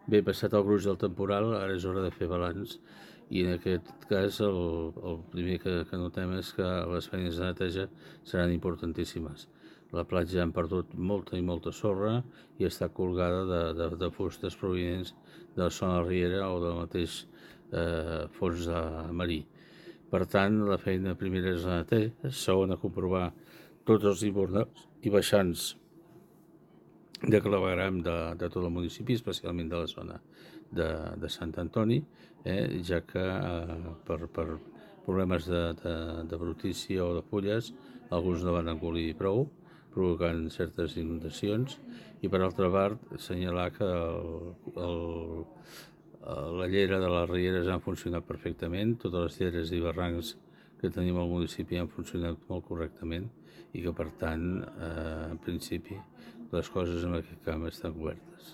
Bé, passat el gruix del temporal, ara és hora de fer balanç i en aquest cas el primer que notem és que les feines de neteja seran importantíssimes. La platja han perdut molta i molta sorra i està colgada de fustes provinents de la zona riera o del mateix fons marí. Per tant, la feina primera és la neteja, segona comprovar tots els hivernals i baixants de clavegueram de tot el municipi, especialment de la zona de Sant Antoni, ja que per problemes de brutícia o de fulles alguns no van engolir prou, provocant certes inundacions, i per altra part assenyalar que la llera de les rieres han funcionat perfectament, totes les lleres i barrancs que tenim al municipi han funcionat molt correctament i que per tant, en principi, les coses en aquest camp estan cobertes.